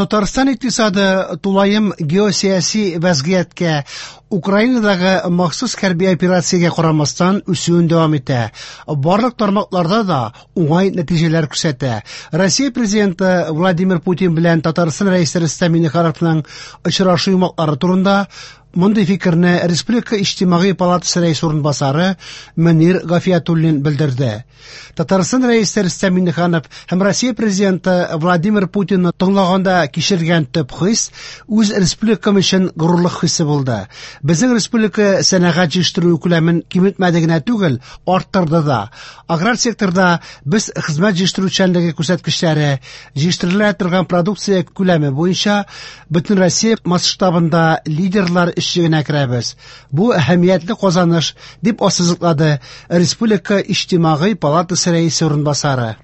Татарстан икътисады тулаем геосәяси вәзгыятькә, Украинадагы махсус хәрби операциягә карамастан үсүен дәвам итә. Барлык тармакларда да уңай нәтиҗәләр күрсәтә. Россия Президенты Владимир Путин белән Татарстан Рәисе Рөстәм Миңнехановның очрашу йомгаклары турында мондый фикерне Республика Иҗтимагый палатасы рәисе урынбасары Мөнир Гафиятуллин белдерде. Татарстан Рәисе Рөстәм Миңнеханов һәм Россия Президенты Владимир Путинны тыңлаганда кичергән төп хис үз республикам өчен горурлык хисе булды. Безнең республика сәнәгать җитештерү күләмен киметмәде генә түгел, арттырды да. Аграр секторда без хезмәт җитештерүчәнлеге күрсәткечләре, җитештерелә торган продукция күләме буенча Бөтенроссия масштабында лидерлар өчлегенә керәбез. Бу әһәмиятле казаныш, дип ассызыклады Республика Иҗтимагый палатасы рәисе урынбасары.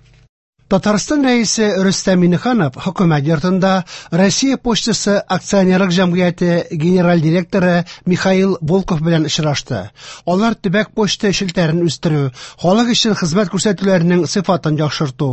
Татарстан Рәисе Рөстәм Миңнеханов Хөкүмәт йортында Россия почтасы акционерлык җәмгыяте генераль директоры Михаил Волков белән очрашты. Алар төбәк почта челтәрен үстерү, халык өчен хезмәт күрсәтүләрнең сыйфатын яхшырту,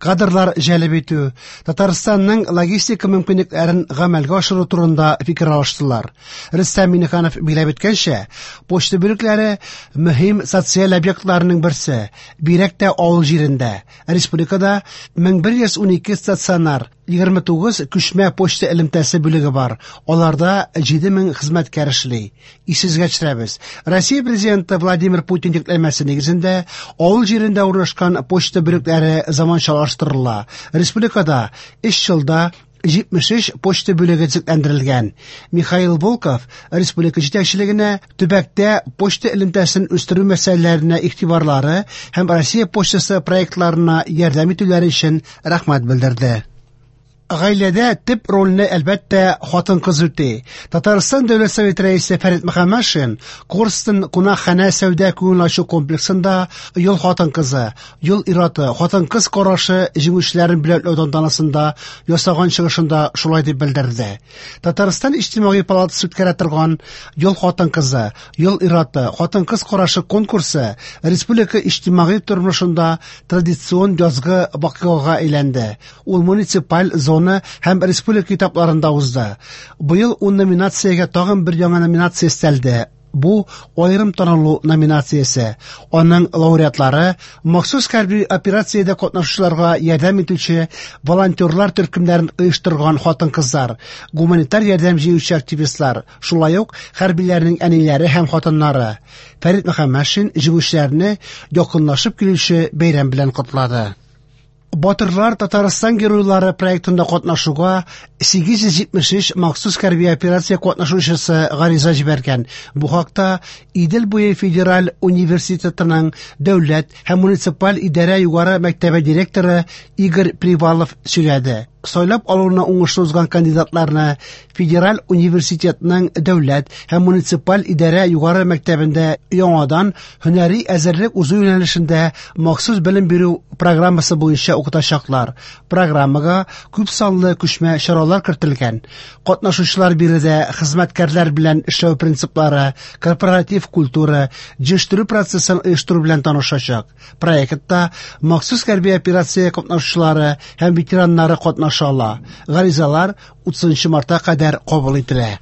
кадрлар җәлеп итү, Татарстанның логистика мөмкинлекләрен гамәлгә ашыру турында фикер алыштылар. Рөстәм Миңнеханов билгеләп үткәнчә, почта бүлекләре мөһим социаль объектларның берсе, бигрәк тә авыл җирендә. Республикада 1112 стационар, 29 күчмә почта элемтәсе бүлеге бар. Аларда 7000 хезмәткәр эшли. Исегезгә төшерәбез, Россия Президенты Владимир Путин йөкләмәсе нигезендә авыл җирендә урнашкан почта бүлекләре заманчалаштырыла. Республикада 3 елда 73 почта бүлеге төзекләндерелгән. Михаил Волков республика җитәкчелегенә төбәктә почта элемтәсен үстерү мәсьәләләренә игътибарлары һәм Россия почтасы проектларына ярдәм итүләре өчен рәхмәт белдерде. Гаиләдә төп рольне, әлбәттә, хатын-кыз үти. Татарстан Дәүләт Советы Рәисе Фәрит Мөхәммәтшин Корстон кунакханә сәүдә күңел ачу комплексында Ел хатын-кызы, Ел ир-аты, хатын-кыз карашы җиңүчеләрен бүләкләү тантанасында ясаган чыгышында шулай дип белдерде. Татарстан Иҗтимагый палатасы үткәрә торган Ел хатын-кызы, Ел ир-аты, хатын-кыз карашы конкурсы республика иҗтимагый тормышында традицион язгы вакыйгага әйләнде. Ул муниципаль, зона һәм республика этапларында узды. Быел ун номинациягә тагын бер яңа номинация өстәлде. Бу аерым танылу номинациясе. Аның лауреатлары махсус хәрби операциядә катнашучыларга ярдәм итүче волонтерлар төркемнәрен оештырган хатын-кызлар, гуманитар ярдәм җыючы активистлар, шулай ук хәрбиләрнең әниләре һәм хатыннары. Фәрит Мөхәммәтшин җиңүчеләрне якынлашып килүче бәйрәм белән котлады. Батырлар Татарстан геройлары проектында катнашуга 873 махсус хәрби операция катнашучысы гариза җибәргән. Бу хакта Идел буе федераль университетының дәүләт һәм муниципаль идарә югары мәктәбе директоры Игорь Привалов сөйләде. Сайлап алуны уңышлы узган кандидатларны Федераль университетның дәүләт һәм муниципаль идарә югары мәктәбендә яңадан һөнәри әзерлек узу юнәлешендә махсус белем бирү программасы буенча укытачаклар. Программага күп санлы күчмә чаралар кертелгән. Катнашучылар биредә хезмәткәрләр белән эшләү принциплары, корпоратив культура, җитештерү процессын оештыру белән танышачак. Проектта махсус хәрби операция катнашучылары һәм ветераннары катнаша ала. Гаризалар 30 мартка кадәр кабул ителә.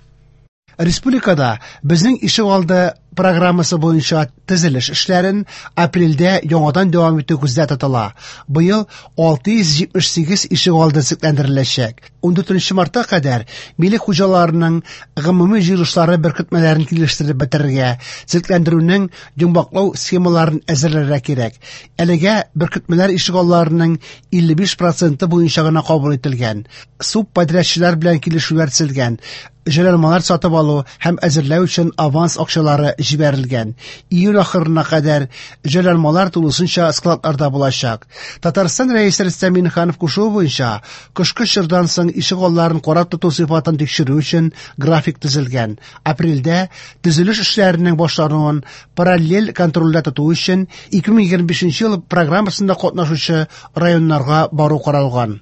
Республикада Безнең ишегалды программасы буенча төзелеш эшләрен апрельдә яңадан дәвам итү күздә тотыла. Быел 678 ишегалды төзекләндереләчәк. 14 мартка кадәр милек хуҗаларының гомуми җыелышлары беркетмәләрен килештереп бетерергә, төзекләндерүнең йомгаклау схемаларын әзерләргә кирәк. Әлегә беркетмәләр ишегалларының 55 проценты буенча гына кабул ителгән. Субподрядчылар белән килешүләр төзелгән. Җайланмалар сатып алу һәм әзерләү өчен аванс акчалары җибәрелгән. Июль ахырына кадәр җайланмалар тулысынча складларда булачак. Татарстан Рәисе Рөстәм Миңнеханов кушуы буенча, кышкы чордан соң ишегалларын карап тоту сыйфатын тикшерү өчен график төзелгән. Апрельдә төзелеш эшләренең башлануын параллель контрольдә тоту өчен 2025 ел программасында катнашучы районнарга бару каралган.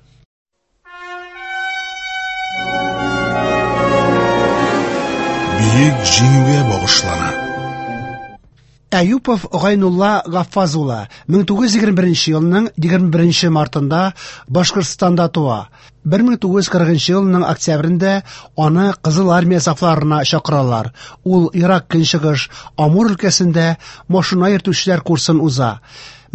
Бөек Җиңүгә багышлана. Әюпов Гайнулла Гаффаз улы 1921 елның 21 мартында Башкортстанда туа. 1940 елның октябрендә аны Кызыл Армия сафларына чакыралар. Ул Ерак Көнчыгыш, Амур өлкәсендә машина йөртүчеләр курсын уза.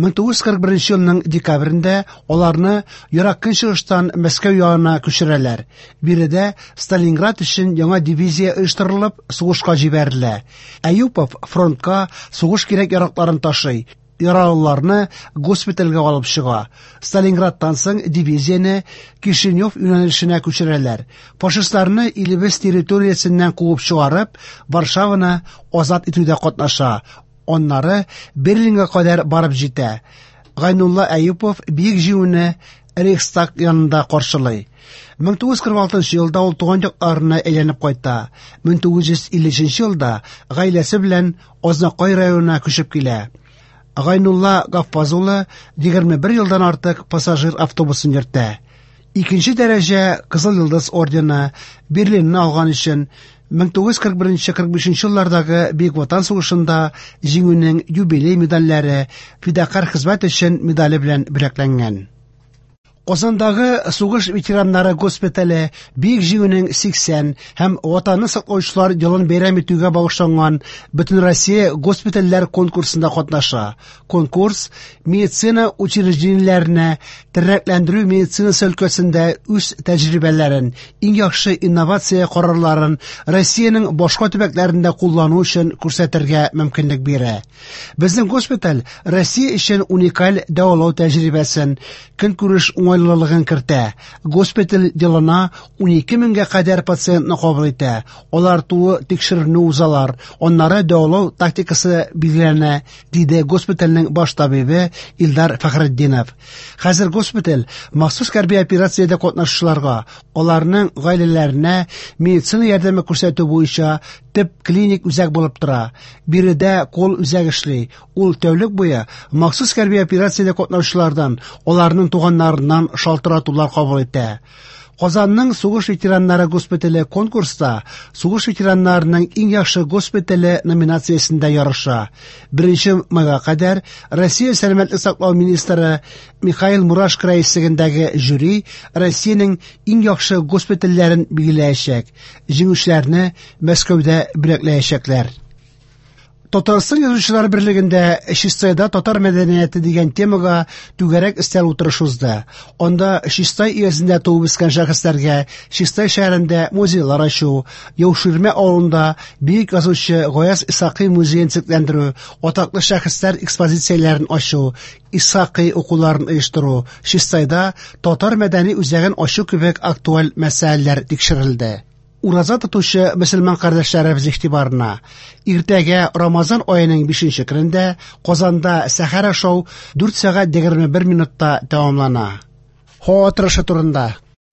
1941 елның декабрендә аларны Ерак Көнчыгыштан Мәскәү янына күчерәләр. Биредә Сталинград өчен яңа дивизия оештырылып, сугышка җибәрелә. Әюпов фронтка сугыш кирәк-яракларын ташый, яралыларны госпитальгә алып чыга. Сталинградтан соң дивизияне Кишинев юнәлешенә күчерәләр. Фашистларны илебез территориясеннән куып чыгарып, Варшаваны азат итүдә катнаша. Аннары Берлинга кадәр барып җитә. Гайнулла Әюпов Бөек Җиңүне Рейхстаг янында каршылый. 1946 елда ул туган якларына әйләнеп кайта. 1953 елда гаиләсе белән Азнакай районына күчеп килә. Гайнулла Гаффаз улы 21 елдан артык пассажир автобусын йөртә. Икенче дәрәҗә Кызыл Йолдыз ордены, Берлинны алган өчен 1941-45 еллардагы Бөек Ватан сугышында Җиңүнең юбилей медальләре, Фидакарь хезмәт өчен медале белән бүләкләнгән. Казандагы сугыш ветераннары госпитале Бөек Җиңүнең 80 һәм Ватанны саклаучылар елын бәйрәм итүгә багышланган Бөтенроссия госпитальләр конкурсында катнаша. Конкурс медицина учреждениеләренә тернәкләндерү медицинасы өлкәсендә үз тәҗрибәләрен, иң яхшы инновация карарларын Россиянең башка төбәкләрендә куллану өчен күрсәтергә мөмкинлек бирә. Безнең госпиталь Россия өчен уникаль дәвалау тәҗрибәсен, көнкүреш уңайлылыгын кертә. Госпиталь елына 12 меңгә кадәр пациентны кабул итә. Алар тулы тикшеренү узалар, аннары дәвалау тактикасы билгеләнә, диде госпитальнең баш табибе Илдар Фәхретдинов. Хәзер госпиталь махсус хәрби операциядә катнашучыларга, аларның гаиләләренә медицина ярдәме күрсәтү буенча төп клиник үзәк булып тора. Биредә кол үзәк эшли. Ул тәүлек буе махсус хәрби операциядә катнашучылардан, аларның туганнарыннан шалтыратулар кабул итә. Казанның сугыш ветераннары госпитале конкурста сугыш ветераннарының иң яхшы госпитале номинациясендә ярыша. 1 майга кадәр Россия сәламәтлек саклау министры Михаил Мурашко рәислегендәге жюри Россиянең иң яхшы госпитальләрен билгеләячәк. Җиңүчеләрне Мәскәүдә бүләкләячәкләр. Татарстан Язучылар берлегендә Чистайда татар мәдәнияте дигән темага түгәрәк өстәл утырышы узды. Анда Чистай өязендә туып үскән шәхесләргә Чистай шәһәрендә музейлар ачу, Яуширмә авылында бөек язучы Гаяз Исхакый музеен төзекләндерү, атаклы шәхесләр экспозицияләрен ачу, Исхакый укуларын оештыру, Чистайда татар мәдәни үзәген ачу кебек актуаль мәсьәләләр тикшерелде. Ураза тотучы мөселман кардәшләребез игътибарына! Иртәгә Рамазан аеның 5 көнендә Казанда сәхәр ашау 4 сәгать 21 минутта тәмамлана. Һава торышы турында.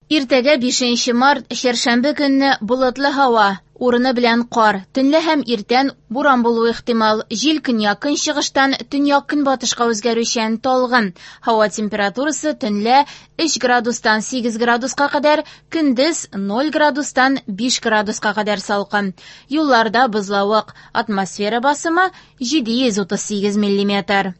Иртәгә 5 март, чәршәмбе көнне болытлы һава, урыны белән кар, төнлә һәм иртән буран булуы ихтимал. Җил көньяк-көнчыгыштан төньяк-көнбатышка үзгәрүчән, талгын. Һава температурасы төнлә 3 градустан 8 градуска кадәр, көндез 0 градустан 5 градуска кадәр салкын. Юлларда бозлавык, атмосфера басымы 738 миллиметр.